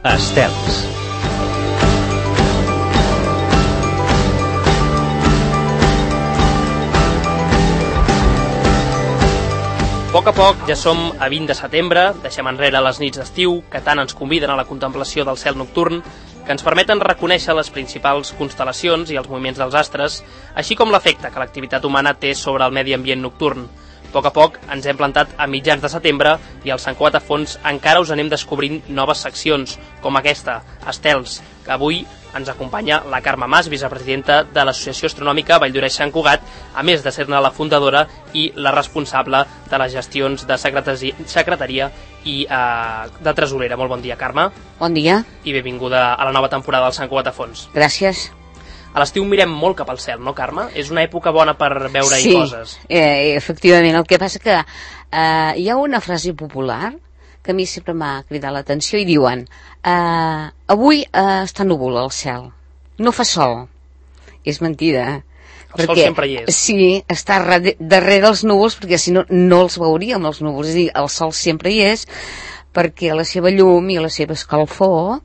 Estels. A poc a poc ja som a 20 de setembre, deixem enrere les nits d'estiu que tant ens conviden a la contemplació del cel nocturn, que ens permeten reconèixer les principals constel·lacions i els moviments dels astres, així com l'efecte que l'activitat humana té sobre el medi ambient nocturn. A poc ens hem plantat a mitjans de setembre i al Sant Cugat a fons encara us anem descobrint noves seccions, com aquesta, Estels, que avui ens acompanya la Carme Mas, vicepresidenta de l'Associació Astronòmica Valldoreix-Sant Cugat, a més de ser-ne la fundadora i la responsable de les gestions de secretaria i de tresorera. Molt bon dia, Carme. Bon dia. I benvinguda a la nova temporada del Sant Cugat a fons. Gràcies. A l'estiu mirem molt cap al cel, no, Carme? És una època bona per veure-hi coses. Sí, efectivament. El que passa que hi ha una frase popular que a mi sempre m'ha cridat l'atenció i diuen avui està núvol al cel, no fa sol. És mentida. El sol sempre hi és. Sí, està darrere els núvols, perquè si no, no els veuríem, els núvols. És a dir, el sol sempre hi és, perquè la seva llum i la seva escalfor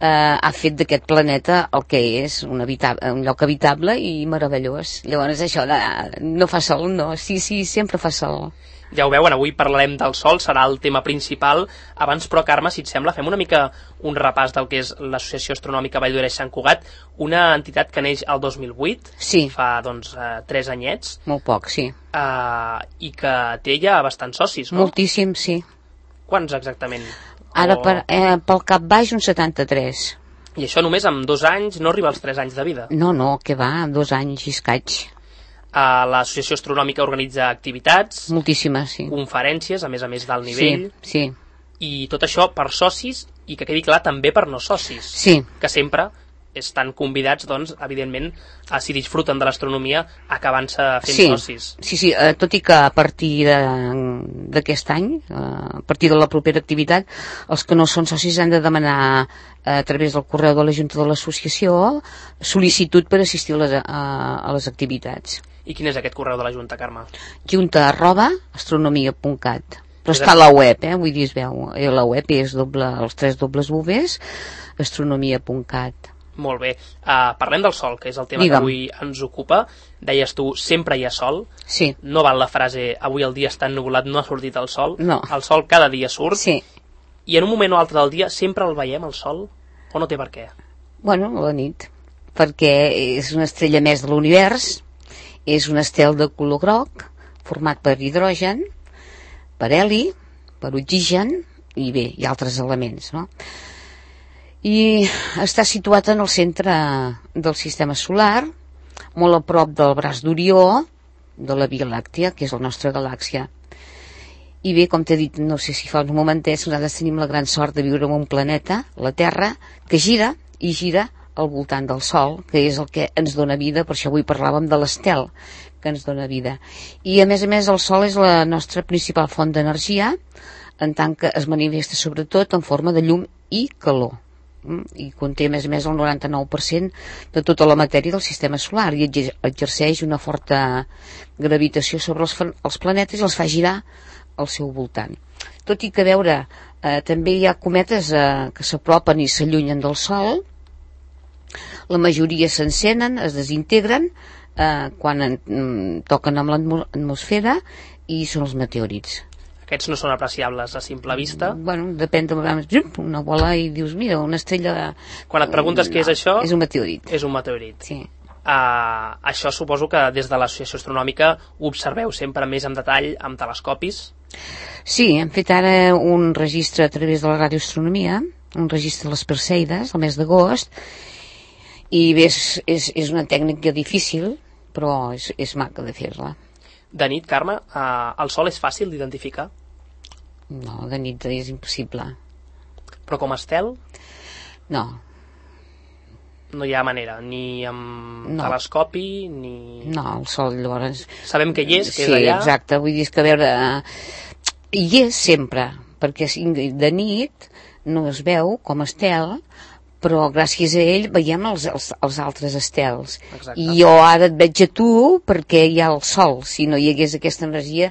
ha fet d'aquest planeta el que és un lloc habitable i meravellós. Llavors això no fa sol, no. Sí, sempre fa sol. Ja ho veuen, avui parlarem del sol, serà el tema principal. Abans, però, Carme, si et sembla, fem una mica un repàs del que és l'Associació Astronòmica Valldoreix-Sant Cugat, una entitat que neix el 2008, sí. Fa, 3 anyets. Molt poc, sí. I que té ja bastants socis, no? Moltíssim, sí. Quants exactament? Ara, pel cap baix, uns 73. I això només amb 2 anys, no arriba als 3 anys de vida? No, que va, 2 anys i escaig. L'Associació Astronòmica organitza activitats, moltíssimes, sí. Conferències, a més d'alt nivell, sí. I tot això per socis i que quedi clar també per no socis, sí. Que sempre estan convidats, doncs, evidentment, si disfruten de l'astronomia, acabant-se fent socis. Sí, tot i que a partir d'aquest any, a partir de la propera activitat, els que no són socis han de demanar a través del correu de la Junta de l'Associació sol·licitud per assistir a les activitats. I quin és aquest correu de la Junta, Carme? junta@astronomia.cat. Però està a la web, vull dir, es veu. La web és els 3 dobles Vs, astronomia.cat. Molt bé. Parlem del sol, que és el tema que avui ens ocupa. Deies tu, sempre hi ha sol. Sí. No val la frase, avui el dia està ennuvolat, no ha sortit el sol. No. El sol cada dia surt. Sí. I en un moment o altre del dia sempre el veiem, el sol? O no té per què? Bueno, a la nit. Perquè és una estrella més de l'univers, és un estel de color groc, format per hidrogen, per heli, per oxigen, i bé, i altres elements, no? I està situat en el centre del sistema solar, molt a prop del braç d'Orió, de la Via Làctia, que és la nostra galàxia. I bé, com t'he dit, no sé si fa uns momentets, nosaltres tenim la gran sort de viure en un planeta, la Terra, que gira i gira al voltant del Sol, que és el que ens dona vida. Per això avui parlàvem de l'estel que ens dona vida. I a més, el Sol és la nostra principal font d'energia, en tant que es manifesta sobretot en forma de llum i calor. I conté a més el 99% de tota la matèria del sistema solar i exerceix una forta gravitació sobre els planetes i els fa girar al seu voltant. Tot i que a veure, també hi ha cometes que s'apropen i s'allunyen del Sol. La majoria s'encenen, es desintegren quan toquen amb l'atmosfera, i són els meteorits. Aquests no són apreciables a simple vista? Bueno, depèn de vegades, una bola i dius, mira, una estrella... Quan et preguntes què és això... És un meteorit. És un meteorit. Sí. Això suposo que des de l'Associació Astronòmica ho observeu sempre més en detall amb telescopis? Sí, hem fet ara un registre a través de la radioastronomia, un registre de les Perseides, el mes d'agost, i bé, és una tècnica difícil, però és maca de fer-la. De nit, Carme, el sol és fàcil d'identificar? No, de nit és impossible. Però com a estel? No. No hi ha manera, ni amb telescopi, ni... No, el sol llavors... Sabem que hi és, que és allà... Sí, exacte, vull dir que a veure... Hi és sempre, perquè de nit no es veu com a estel, però gràcies a ell veiem els altres estels. Exacte. I jo ara et veig a tu perquè hi ha el sol. Si no hi hagués aquesta energia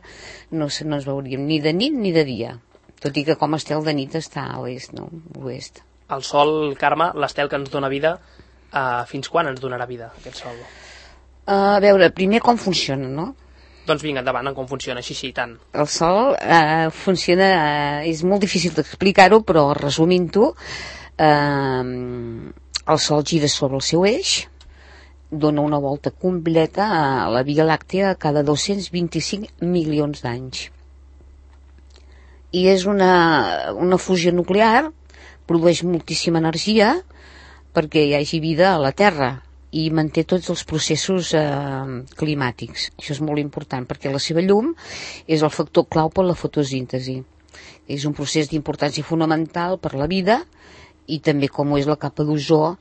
no ens veuríem ni de nit ni de dia, tot i que com a estel de nit està a l'est, no? Oest. El Sol, Carme, l'estel que ens dona vida, fins quan ens donarà vida, aquest Sol? A veure, primer com funciona, no? Doncs vinga, endavant, com funciona, així, i tant. El Sol funciona, és molt difícil d'explicar-ho, però resumint-ho, el Sol gira sobre el seu eix, dona una volta completa a la Via Làctea cada 225 milions d'anys. I és una fusió nuclear, produeix moltíssima energia perquè hi hagi vida a la Terra i manté tots els processos climàtics. Això és molt important perquè la seva llum és el factor clau per la fotosíntesi. És un procés d'importància fonamental per la vida i també com ho és la capa d'ozó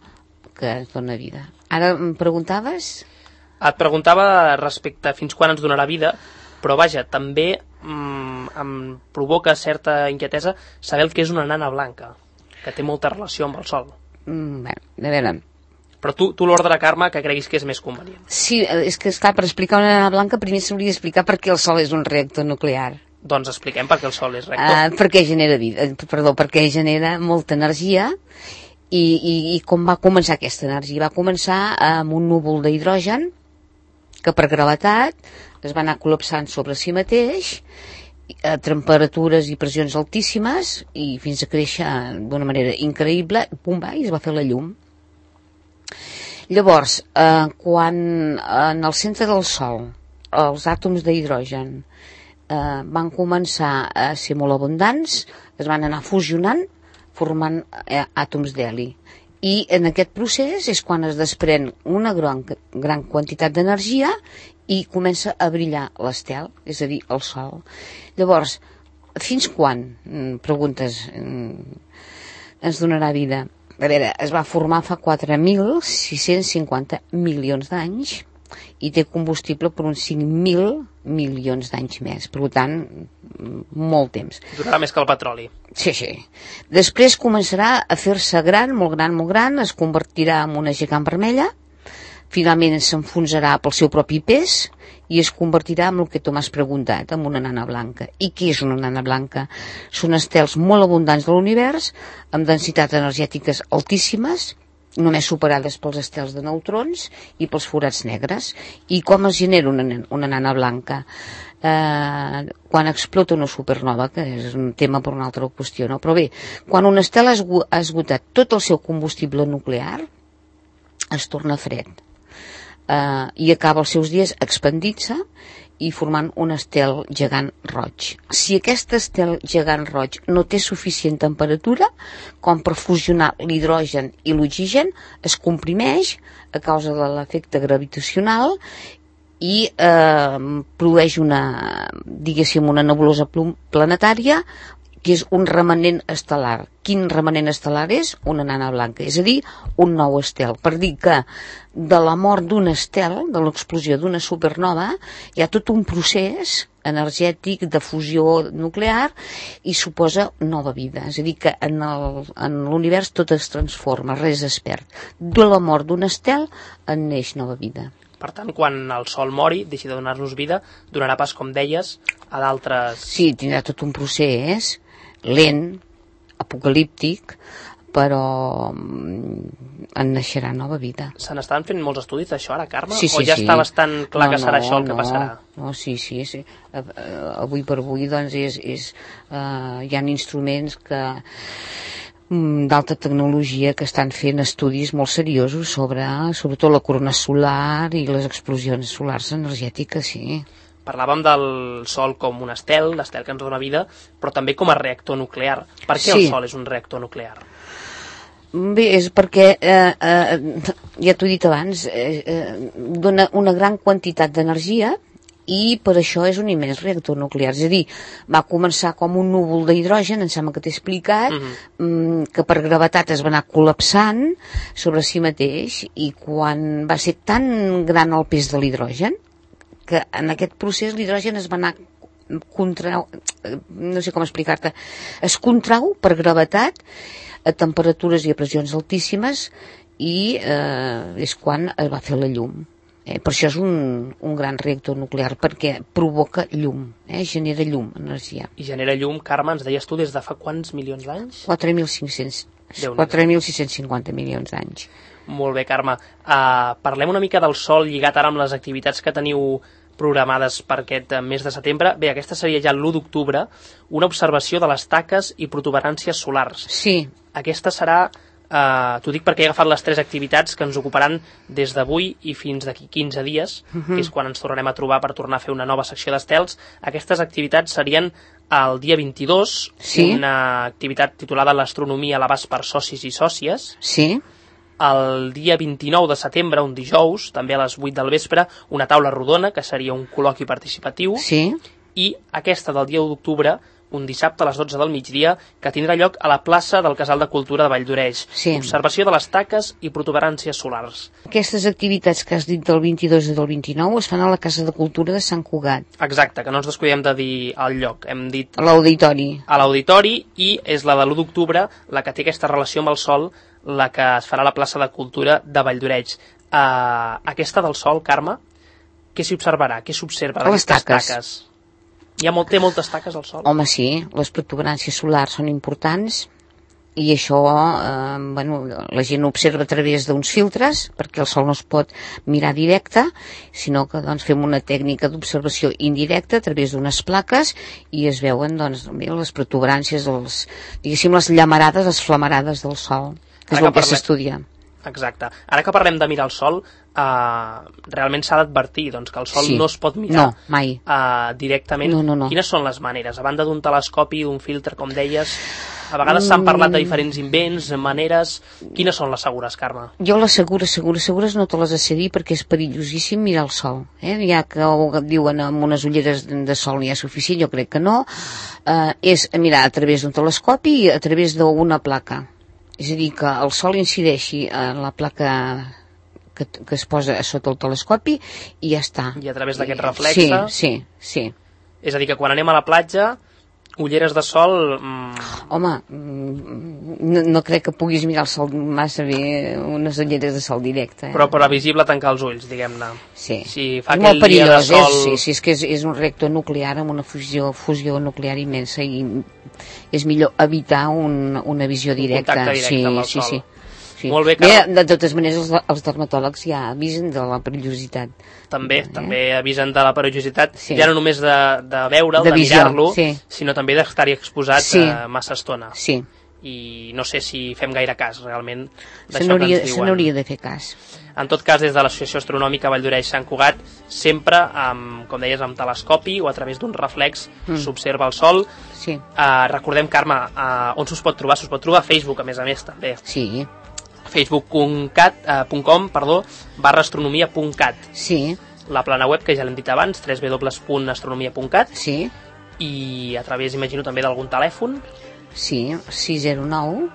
que ens dona vida. Ara em preguntaves? Et preguntava respecte a fins quan ens donarà vida, però vaja, també em provoca certa inquietesa saber el que és una nana blanca, que té molta relació amb el Sol. Bé, a veure... Però tu l'ordre, Carme, que creguis que és més convenient. Sí, és que esclar, per explicar una nana blanca primer s'hauria d'explicar per què el Sol és un reactor nuclear. Doncs expliquem per què el Sol és reactor. Perquè genera vida, perquè genera molta energia i com va començar aquesta energia? Va començar amb un núvol d'hidrogen que per gravetat es va anar col·lapsant sobre si mateix a temperatures i pressions altíssimes i fins a créixer d'una manera increïble, pum, va, i es va fer la llum. Llavors, quan en el centre del Sol els àtoms d'hidrogen van començar a ser molt abundants, es van anar fusionant formant àtoms d'heli. I en aquest procés és quan es desprèn una gran quantitat d'energia i comença a brillar l'estel, és a dir, el Sol. Llavors, fins quan, preguntes, ens donarà vida? A veure, es va formar fa 4.650 milions d'anys i té combustible per uns 5.000 milions d'anys més. Per tant, molt temps. Durarà més que el petroli. Sí. Després començarà a fer-se gran, molt gran, es convertirà en una gegant vermella, finalment s'enfonsarà pel seu propi pes i es convertirà en el que tu m'has preguntat, en una nana blanca. I què és una nana blanca? Són estels molt abundants de l'univers, amb densitats energètiques altíssimes, només superades pels estels de neutrons i pels forats negres. I com es genera una nana blanca? Quan explota una supernova, que és un tema per una altra qüestió, no? Però bé, quan un estel ha esgotat tot el seu combustible nuclear, es torna fred i acaba els seus dies expandint-se i formant un estel gegant roig. Si aquest estel gegant roig no té suficient temperatura com per fusionar l'hidrogen i l'oxigen, es comprimeix a causa de l'efecte gravitacional i produeix una nebulosa planetària que és un remanent estel·lar. Quin remanent estel·lar és? Una nana blanca, és a dir, un nou estel. Per dir que de la mort d'un estel, de l'explosió d'una supernova, hi ha tot un procés energètic de fusió nuclear i suposa nova vida. És a dir, que en l'univers tot es transforma, res es perd. De la mort d'un estel en neix nova vida. Per tant, quan el Sol mori, deixi de donar-nos vida, donarà pas, com deies, a d'altres... Sí, tindrà tot un procés lent, apocalíptic, però en naixerà nova vida. Se n'estan fent molts estudis d'això ara, Carme? Sí, o ja està bastant clar que serà això el que passarà? No, sí. Avui per avui, doncs, hi ha instruments que d'alta tecnologia que estan fent estudis molt seriosos sobre, sobretot la corona solar i les explosions solars energètiques, sí. Parlàvem del Sol com un estel, l'estel que ens dona vida, però també com a reactor nuclear. Per què el Sol és un reactor nuclear? Bé, és perquè, ja t'ho he dit abans, dona una gran quantitat d'energia i per això és un immens reactor nuclear. És a dir, va començar com un núvol d'hidrogen, em sembla que t'he explicat, que per gravetat es va anar col·lapsant sobre si mateix i quan va ser tan gran el pes de l'hidrogen que en aquest procés l'hidrogen es va anar no sé com explicar-te, es contrau per gravetat a temperatures i a pressions altíssimes i és quan es va fer la llum. Per això és un gran reactor nuclear, perquè provoca llum, genera llum, energia. I genera llum, Carme, ens deies tu, des de fa quants milions d'anys? 4.500 Déu-n'hi-do. 4.650 milions d'anys. Molt bé, Carme. Parlem una mica del Sol lligat ara amb les activitats que teniu programades per aquest mes de setembre. Bé, aquesta seria ja l'1 d'octubre, una observació de les taques i protuberàncies solars. Sí. Aquesta serà, t'ho dic perquè he agafat les 3 activitats que ens ocuparan des d'avui i fins d'aquí 15 dies, que és quan ens tornarem a trobar per tornar a fer una nova secció d'estels. Aquestes activitats serien el dia 22, sí, una activitat titulada L'astronomia a l'abast per socis i sòcies. Sí. El dia 29 de setembre, un dijous, també a les 8 del vespre, una taula rodona, que seria un col·loqui participatiu. Sí. I aquesta del dia 1 d'octubre, un dissabte a les 12 del migdia, que tindrà lloc a la plaça del Casal de Cultura de Valldoreix. Sí. Observació de les taques i protuberàncies solars. Aquestes activitats que has dit del 22 i del 29 es fan a la Casa de Cultura de Sant Cugat. Exacte, que no ens descuidem de dir el lloc. Hem dit a l'auditori. A l'auditori, i és la de l'1 d'octubre, la que té aquesta relació amb el Sol, la que es farà a la plaça de Cultura de Valldoreix. Aquesta del Sol, Carme, què s'hi observarà? Què s'observa d'aquestes taques? Té moltes taques al Sol? Home, sí, les protuberàncies solars són importants i això la gent observa a través d'uns filtres perquè el Sol no es pot mirar directe, sinó que fem una tècnica d'observació indirecta a través d'unes plaques i es veuen les protuberàncies, diguéssim les llamarades, les flamarades del Sol, que és el que s'estudia. Exacte. Ara que parlem de mirar el Sol, realment s'ha d'advertir que el Sol no es pot mirar directament. No. Quines són les maneres? A banda d'un telescopi, d'un filtre, com deies, a vegades s'han parlat de diferents invents, maneres. Quines són les segures, Carme? Jo les segures no te les sé dir perquè és perillosíssim mirar el Sol. Ja que diuen amb unes ulleres de sol n'hi ha suficient, jo crec que no. És mirar a través d'un telescopi i a través d'una placa. És a dir, que el Sol incideixi en la placa que es posa sota el telescopi i ja està. I a través d'aquest reflexe? Sí. És a dir, que quan anem a la platja, ulleres de sol... Home, no crec que puguis mirar el Sol massa bé, unes ulleres de sol directe. Però visible tancar els ulls, diguem-ne. Sí. Si fa aquell dia de sol... Sí, és que és un reactor nuclear amb una fusió nuclear immensa i és millor evitar una visió directa. Un contacte directe amb el Sol. Sí. Molt bé, de totes maneres, els dermatòlegs ja avisen de la perillositat. També avisen de la perillositat, ja no només de veure'l, de mirar-lo, sinó també d'estar-hi exposat massa estona. Sí. I no sé si fem gaire cas, realment, d'això que ens diuen. Se n'hauria de fer cas. En tot cas, des de l'Associació Astronòmica Valldoreix-Sant Cugat, sempre, com deies, amb telescopi o a través d'un reflex, s'observa el Sol. Sí. Recordem, Carme, on s'us pot trobar? S'us pot trobar a Facebook, a més també. Sí. facebook.com/astronomia.cat. Sí. La plana web, que ja l'hem dit abans, www.astronomia.cat. Sí. I a través, imagino, també d'algun telèfon. Sí, 609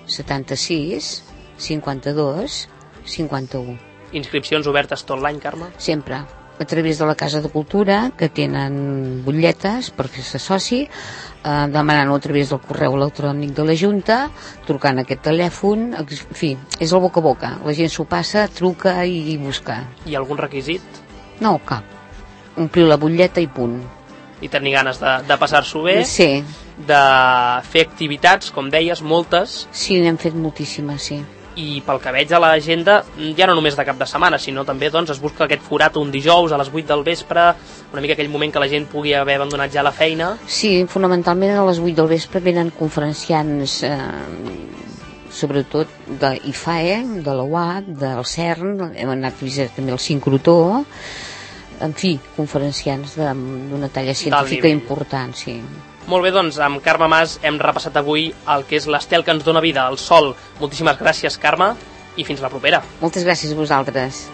76 52 51. Inscripcions obertes tot l'any, Carme? Sempre. A través de la Casa de Cultura, que tenen butlletes per fer-se soci, demanant-ho a través del correu electrònic de la Junta, trucant aquest telèfon, en fi, és el boca a boca. La gent s'ho passa, truca i busca. I algun requisit? No, cap. Omplir la butlleta i punt. I tenir ganes de passar-s'ho bé? Sí. De fer activitats, com deies, moltes? Sí, n'hem fet moltíssimes, sí. I pel que veig a l'agenda, ja no només de cap de setmana, sinó també es busca aquest forat un dijous a les 8 del vespre, una mica aquell moment que la gent pugui haver abandonat ja la feina. Sí, fonamentalment a les 8 del vespre venen conferenciants, sobretot d'IFAE, de la UAT, del CERN, hem anat a visitar també el sincrotró, en fi, conferenciants d'una talla científica important, sí. Molt bé, doncs, amb Carme Mas hem repassat avui el que és l'estel que ens dona vida, el Sol. Moltíssimes gràcies, Carme, i fins la propera. Moltes gràcies a vosaltres.